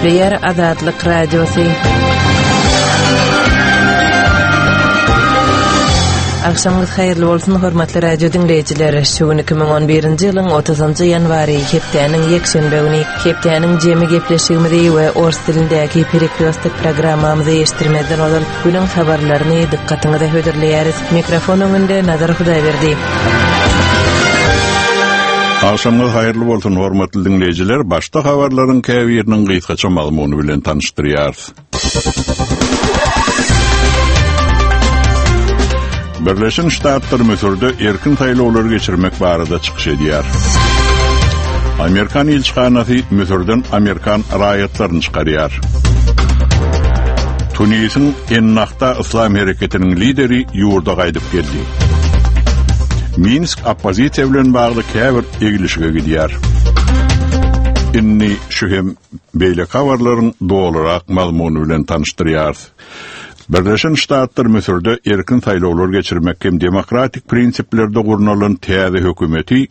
Gepleýär Azatlyk Radiosy. Agşamyňyz haýyrly bolsun, hormatly radio diňleýjiler. Şu gün 2011-nji ýylyň 30-njy ýanwary, hepdäniň ýekşenbe güni. Hepdäniň jemi gepleşigimizi we ors dilindäki Perekrýostok programmamyzy eşitdirmezden ozal günüň habarlaryny dykgatyňyza hödürleýäris. Mikrofon öňünde Nazar Hudaýberdi. Agşamyňyz haýyrly bolsun, hormatly diňleýjiler! Başda habarlaryň käbiriniň gysgaça mazmuny bilen tanyşdyrýarys. Birleşen Ştatlar Müsürde erkin saýlawlary geçirmek barada çykyş edýär. Amerikan ilçihanasy Müsürden amerikan raýatlaryny çykarýar. Tunisiň Ennahda yslam hereketiniň lideri ýurda gaýdyp geldi. Minsk oppozisiýa bilen bagly käbir eglişige gidýär. Indi şu hem beýleki habarlaryň dolurak mazmuny bilen tanyşdyrýarys. Birleşen Ştatlar Müsürde erkin saýlawlar geçirmek hem demokratik prinsiplerde gurnalan täze hökümeti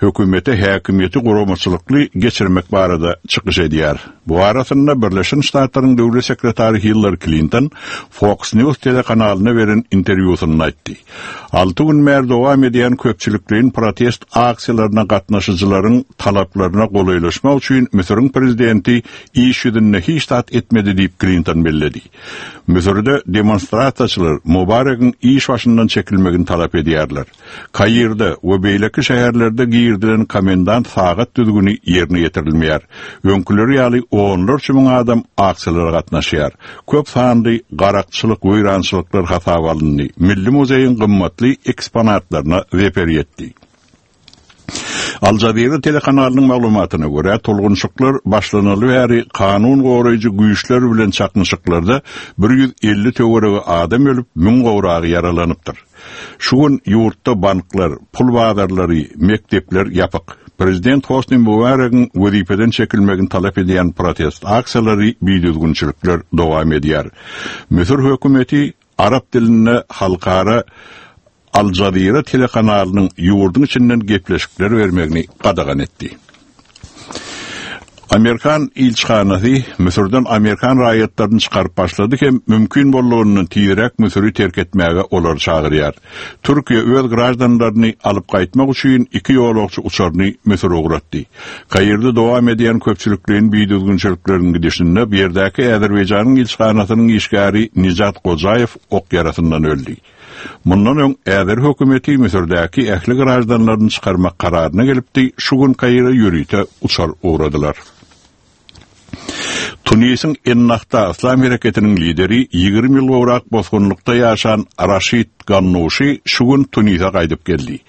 hökümete häkimiýeti guramaçylykly geçirmek barada çykyş edýär. Bu arasynda Birleşen Ştatlaryň döwlet sekretary Hillari Klinton Fox News telekanalyna beren interwýusynda aýtdy. Alty gün bäri dowam edýän köpçülikleýin protest aksiýalaryna gatnaşyjylaryň talaplaryna golaýlaşmak üçin Müsüriň prezidenti iş ýüzünde hiç zat etmedi diýip Klinton belledi. Müsürde demonstrasiýaçylar Mubaregiň iş başyndan çekilmegini talap edýärler. Kairde we beýleki şäherlerde girizilen komendant sagat düzgüni ýerine ýetirilmeýär. Öňküleri ýaly onlarça müň adam aksiýalara gatnaşýar. Köp sanly garakçylyk, weýrançylyklar hasaba alyndy, Milli muzeýiň gymmatly eksponatlaryna zeper ýetdi. Al Jazeera telekanalynyň maglumatyna görä, tolgunyşyklar başlanaly bäri kanun goraýjy güýçler bilen çaknyşyklarda 150 töweregi adam ölüp, müň gowragy ýaralanypdyr. Şu gün ýurtda banklar, pul bazarlary, mekdepler ýapyk. Prezident Hosni Mubaregiň wezipeden çekilmegini talap edýän protest aksiýalary, bidüzgünçilikler dowam edýär. Müsür hökümeti arap dilinde halkara Al Jazeera telekanalynyň ýurduň içinden gepleşikler bermegini gadagan etdi. Amerikan ilçihanasy Müsürden amerikan raýatlaryny çykaryp başlady hem mümkin boldugyndan tizräk Müsüri terk etmäge olary çagyrýar. Türkiýe öz graždanlaryny alyp gaýtmak üçin iki ýolagçy uçaryny Müsüre ugratdy. Kairde dowam edýän köpçülikleýin bidüzgünçilikleriň gidişinde bu ýerdäki Azerbaýjanyň ilçihanasynyň işgäri Nijat Gojaýew ok ýarasyndan öldi. Mundan öň Äzer hökümeti Müsürdäki ähli graždanlaryny çykarmak kararyna gelipdi, şu gün Kaire ýörite uçar ugradylar. Tunisiň Ennahda yslam hereketiniň lideri, 20 ýyl gowrak bosgunlykda ýaşan Raşid Gannuşi şu gün Tunise gaýdyp geldi.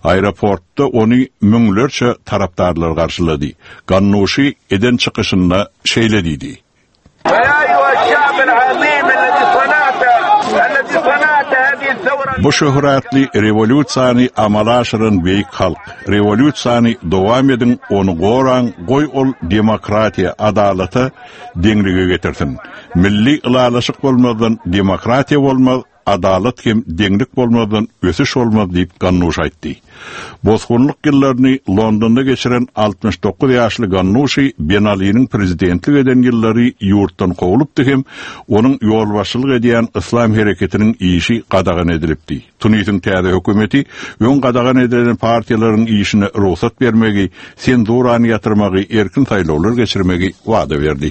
Aeroportda ony müňlerçe tarapdarlar garşylady. Gannuşi eden çykyşynda şeýle diýdi. Bu şöhratly rewolýusiýany amala aşyran beýik halk, rewolýusiýany dowam ediň, ony goraň, goý ol demokratiýa, adalata, deňlige getirsin. Milli ylalaşyk bolmazdan demokratiýa bolmaz, Adalat hem deňlik bolmazdan ösüş bolmaz diýip, Gannuş aýtdy. Bosgunlyk ýyllaryny Londonda geçiren 69 ýaşly Gannuşi Ben Aliniň prezidentlik eden ýyllary ýurtdan kowlupdy hem onuň ýolbaşçylyk edýän Yslam hereketiniň işi gadagan edilipdi. Tunisiň täze hökümeti öň gadagan edilen partiýalaryň işine rugsat bermegi, senzurany ýatyrmagy, erkin saýlawlar geçirmegi wada berdi.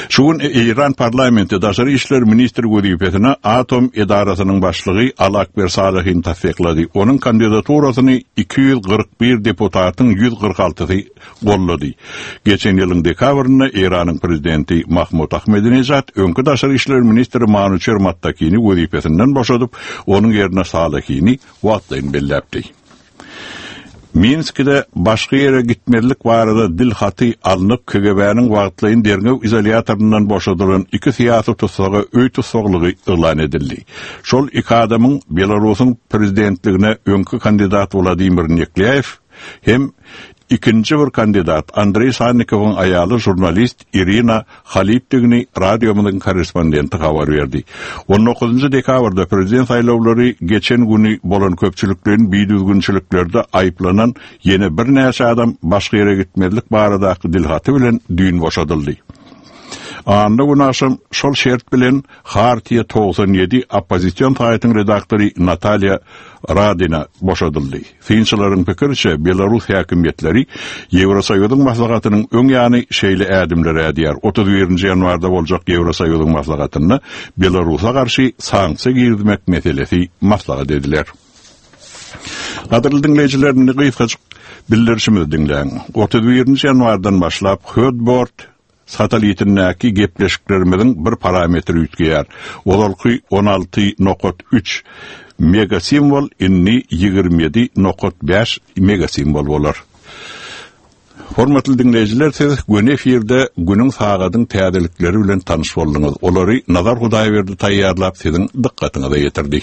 Şu gün Eýran parlamenti daşary işler ministri wezipesine atom edarasynyň başlygy Al Akber Salehini tassyklady. Onuň kandidaturasyny 241 deputatyň 146-sy goldady. Geçen ýylyň dekabrynda Eýranyň prezidenti Mahmud Ahmedinejad öňki daşary işler ministri Manuçer Mattakini wezipesinden boşadyp, onuň ýerine Salehini wagtlaýyn belläpdi. Minskide başga ýere gitmezlik barada dil haty alnyp, KGB-niň wagtlaýyn derňew izolýatoryndan boşadylan iki syýasy tussaga öý tussaglygy yglan edildi. Şol iki adamyň Belarusyň prezidentligine öňki kandidat Wladimir Neklýaýew hem. Ikinji bir kandidat Andreý Sannikowyň aýaly žurnalist Irina Halipdigini radiomyzyň korrespondenti habar berdi. On dokuzynjy dekabrda prezident saýlawlary geçen güni bolan köpçülikleýin bidüzgünçiliklerde aýyplanan ýene birnäçe adam başga ýere gitmezlik baradaky dilhaty bilen düýn boşadyldy. Anna güni agşam şol şert bilen Hartiýa 97 oppozision saýtyň redaktory Natalýa Radina boşadyldy. Synçylaryň pikiriçe, belarus häkimiýetleri Ýewrosoýuzyň maslahatynyň öň ýany şeýle ädimleri ädýär, 31-nji ýanwarda boljak Ýewrosoýuzyň maslahatynda Belarusa garşy sanksiýa girizmek meselesi maslahat ediler. Gadyrly diňleýjiler, indi gysgajyk bildirişimizi diňläň. 31-nji ýanwardan başlap Hotbird Satelitindäki gepleşiklerimiziň bir parametri üýtgeýär. Ozalky 16 nokat üç megasimwol indi 27 nokat bäş megasimwol bolar. Hormatly diňleýjiler, siz göni efirde günüň sagadyň täzelikleri bilen tanyş bolduňyz. Olary Nazar Hudaýberdi taýýarlap siziň dykgatyňyza ýetirdi.